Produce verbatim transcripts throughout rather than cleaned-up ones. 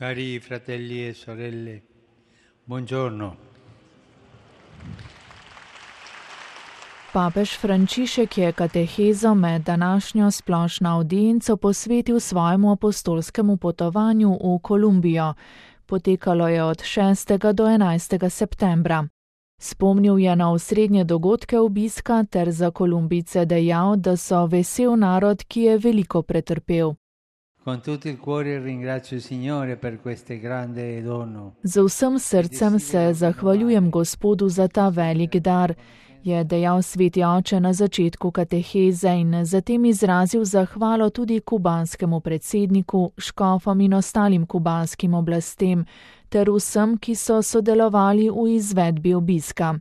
Cari fratelli e sorelle, buongiorno. Papež Frančišek je katehezo med današnjo splošno avdienco posvetil svojemu apostolskemu potovanju v Kolumbijo. Potekalo je od šestega do enajstega septembra. Spomnil je na osrednje dogodke obiska ter za Kolumbijce dejal, da so vesel narod, ki je veliko pretrpel. Z vsem srcem se zahvaljujem Gospodu za ta velik dar, je dejal sveti oče na začetku kateheze in zatem izrazil zahvalo tudi kubanskemu predsedniku, škofom in ostalim kubanskim oblastem, ter vsem, ki so sodelovali v izvedbi obiska.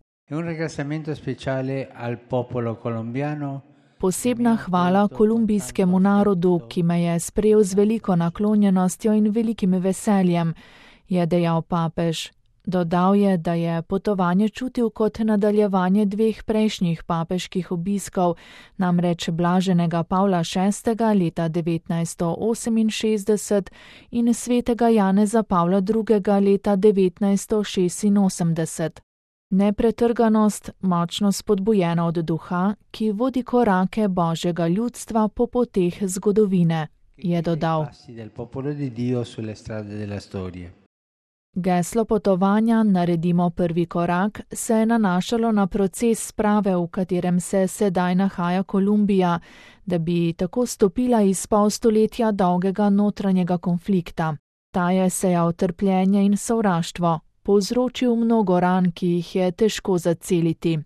Posebna hvala kolumbijskemu narodu, ki me je sprejel z veliko naklonjenostjo in velikim veseljem, je dejal papež. Dodal je, da je potovanje čutil kot nadaljevanje dveh prejšnjih papeških obiskov, namreč blaženega Pavla šestega leta devetnajststo oseminšestdeset in svetega Janeza Pavla drugega leta devetnajststo šestinosemdeset. Nepretrganost, močno spodbujena od duha, ki vodi korake Božjega ljudstva po poteh zgodovine, je dodal. Geslo potovanja Naredimo prvi korak se je nanašalo na proces sprave, v katerem se sedaj nahaja Kolumbija, da bi tako stopila iz pol stoletja dolgega notranjega konflikta. Ta je sejal trpljenje in sovraštvo, povzročil mnogo ran, ki jih je težko zaceliti.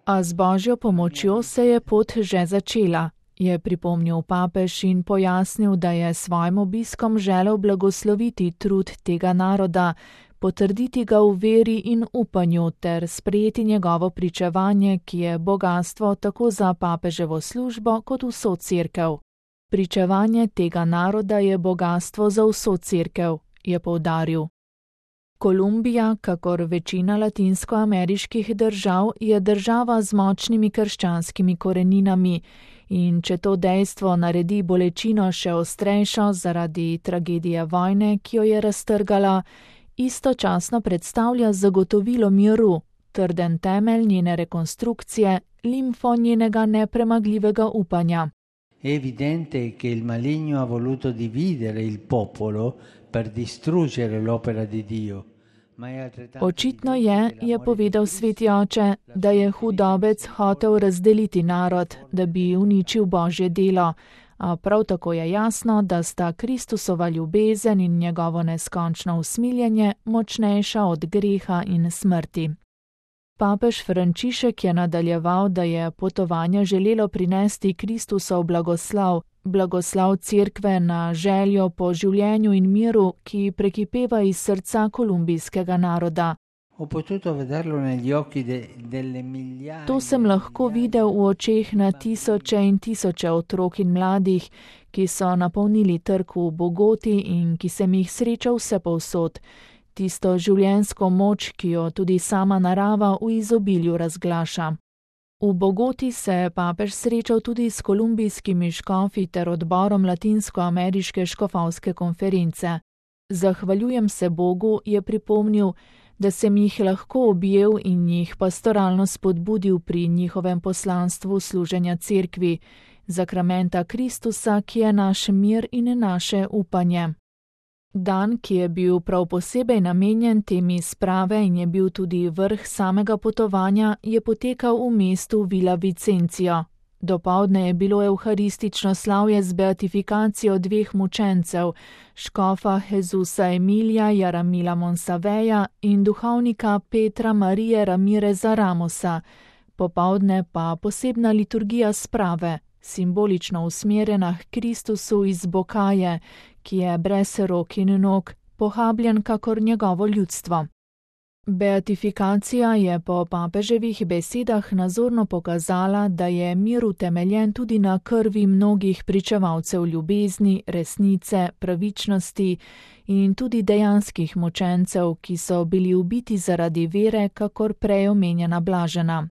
A z Božjo pomočjo se je pot že začela, je pripomnil papež in pojasnil, da je svojim obiskom želel blagosloviti trud tega naroda, potrditi ga v veri in upanju ter sprejeti njegovo pričevanje, ki je bogastvo tako za papeževo službo kot vso cerkev. Pričevanje tega naroda je bogastvo za vso cerkev, je poudaril. Kolumbija, kakor večina latinskoameriških držav, je država z močnimi krščanskimi koreninami in če to dejstvo naredi bolečino še ostrejšo zaradi tragedije vojne, ki jo je raztrgala, istočasno predstavlja zagotovilo miru, trden temelj njene rekonstrukcije, limfo njenega nepremagljivega upanja. È evidente che il maligno ha voluto dividere il popolo per distruggere l'opera di Dio. Očitno je, je povedal sveti oče, da je hudobec hotel razdeliti narod, da bi uničil Božje delo, a prav tako je jasno, da sta Kristusova ljubezen in njegovo neskončno usmiljenje močnejša od greha in smrti. Papež Frančišek je nadaljeval, da je potovanje želelo prinesti Kristusov blagoslav, blagoslav cerkve na željo po življenju in miru, ki prekipeva iz srca kolumbijskega naroda. To sem lahko videl v očeh na tisoče in tisoče otrok in mladih, ki so napolnili trg v Bogoti in ki sem jih srečal vsepovsod. Tisto življenjsko moč, ki jo tudi sama narava v izobilju razglaša. V Bogoti se je papež srečal tudi s kolumbijskimi škofi ter odborom Latinskoameriške škofovske konference. Zahvaljujem se Bogu, je pripomnil, da sem jih lahko objel in jih pastoralno spodbudil pri njihovem poslanstvu služenja cerkvi, zakramenta Kristusa, ki je naš mir in naše upanje. Dan, ki je bil prav posebej namenjen temi sprave in je bil tudi vrh samega potovanja, je potekal v mestu Villa Vicencio. Dopoldne je bilo evharistično slavje z beatifikacijo dveh mučencev, škofa Jezusa Emilija Jaramila Monsaveja in duhovnika Petra Marije Ramireza Ramosa, popoldne pa posebna liturgija sprave, simbolično usmerjena k Kristusu iz Bokaje, ki je brez rok in nog, pohabljen kakor njegovo ljudstvo. Beatifikacija je po papeževih besedah nazorno pokazala, da je mir utemeljen tudi na krvi mnogih pričevalcev ljubezni, resnice, pravičnosti in tudi dejanskih mučencev, ki so bili ubiti zaradi vere, kakor prej omenjena blažena.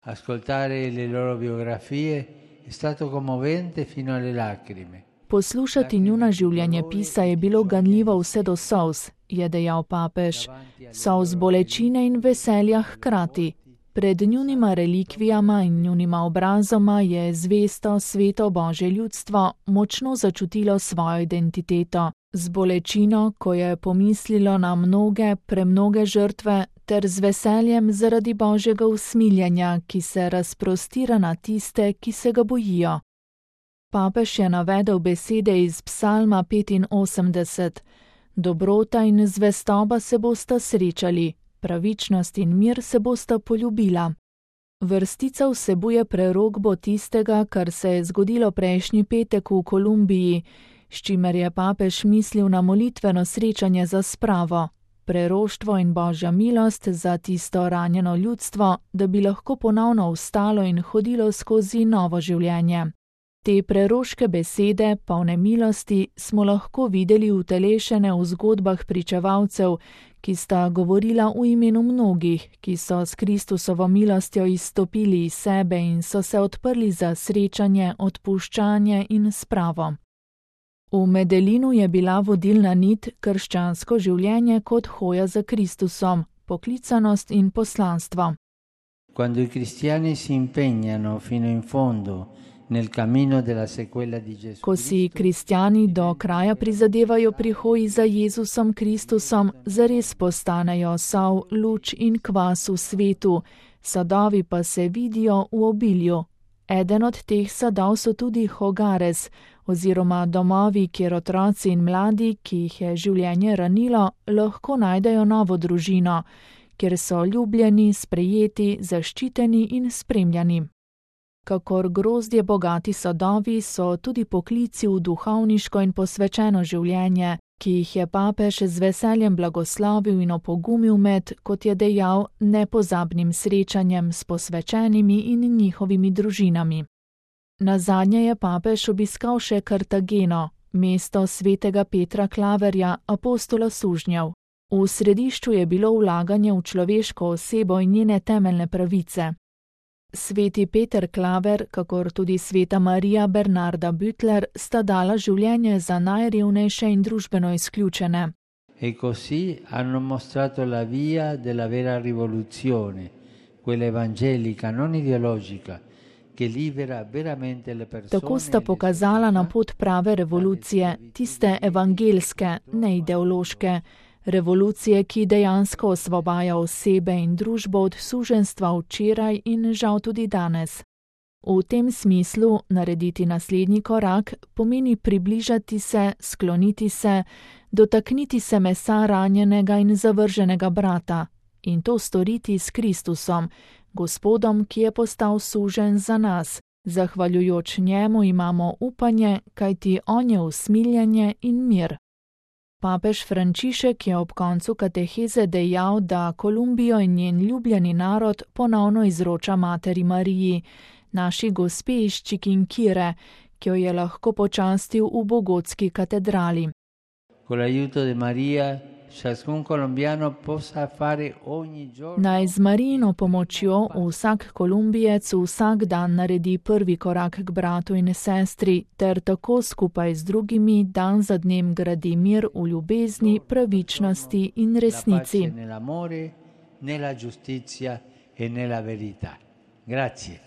Ascoltare le loro biografie è stato commovente fino alle lacrime. Poslušati njuna življenjepisa je bilo ganljivo vse do solz, je dejal papež. Solz bolečine in veselja hkrati. Pred njunima relikvijama in njunima obrazoma je zvesto sveto Božje ljudstvo močno začutilo svojo identiteto. Z bolečino, ko je pomislilo na mnoge, premnoge žrtve, ter z veseljem zaradi Božjega usmiljenja, ki se razprostira na tiste, ki se ga bojijo. Papež je navedel besede iz Psalma petinosemdeset. Dobrota in zvestoba se bosta srečali, pravičnost in mir se bosta poljubila. Vrstica vsebuje prerokbo tistega, kar se je zgodilo prejšnji petek v Kolumbiji, s čimer je papež mislil na molitveno srečanje za spravo, preroštvo in Božja milost za tisto ranjeno ljudstvo, da bi lahko ponovno vstalo in hodilo skozi novo življenje. Te preroške besede, polne milosti, smo lahko videli utelešene v zgodbah pričevalcev, ki sta govorila v imenu mnogih, ki so s Kristusovo milostjo izstopili iz sebe in so se odprli za srečanje, odpuščanje in spravo. V Medelinu je bila vodilna nit krščansko življenje kot hoja za Kristusom, poklicanost in poslanstvo. Quando i cristiani si impegnano fino in fondo nel cammino della sequela di Gesù. Ko si kristjani do kraja prizadevajo pri hoji za Jezusom Kristusom, zares postanejo sol, luč in kvas v svetu, sadovi pa se vidijo v obilju. Eden od teh sadov so tudi hogares, oziroma domovi, kjer otroci in mladi, ki jih je življenje ranilo, lahko najdejo novo družino, kjer so ljubljeni, sprejeti, zaščiteni in spremljani. Kakor grozdje bogati sadovi so tudi poklici v duhovniško in posvečeno življenje, ki jih je papež z veseljem blagoslovil in opogumil med, kot je dejal, nepozabnim srečanjem s posvečenimi in njihovimi družinami. Nazadnje je papež obiskal še Kartageno, mesto svetega Petra Klaverja, apostola sužnjev. V središču je bilo vlaganje v človeško osebo in njene temeljne pravice. Sveti Peter Klaver, kakor tudi sveta Marija Bernarda Bütler, sta dala življenje za najrevnejše in družbeno izključene. E così hanno mostrato la via della vera rivoluzione, quella evangelica, non ideologica, che libera veramente le persone. Tako sta pokazala na pot prave revolucije, tiste evangelske, ne ideološke. Revolucije, ki dejansko osvobaja osebe in družbo od suženjstva včeraj in žal tudi danes. V tem smislu narediti naslednji korak pomeni približati se, skloniti se, dotakniti se mesa ranjenega in zavrženega brata in to storiti s Kristusom, Gospodom, ki je postal suženj za nas. Zahvaljujoč njemu imamo upanje, kajti on je usmiljenje in mir. Papež Frančišek je ob koncu kateheze dejal, da Kolumbijo in njen ljubljeni narod ponovno izroča Materi Mariji, naši gospe iz Čikinkire, ki jo je lahko počastil v bogotski katedrali. Naj z Marijino pomočjo vsak Kolumbijec vsak dan naredi prvi korak k bratu in sestri, ter tako skupaj z drugimi dan za dnem gradi mir v ljubezni, pravičnosti in resnici. Grazie.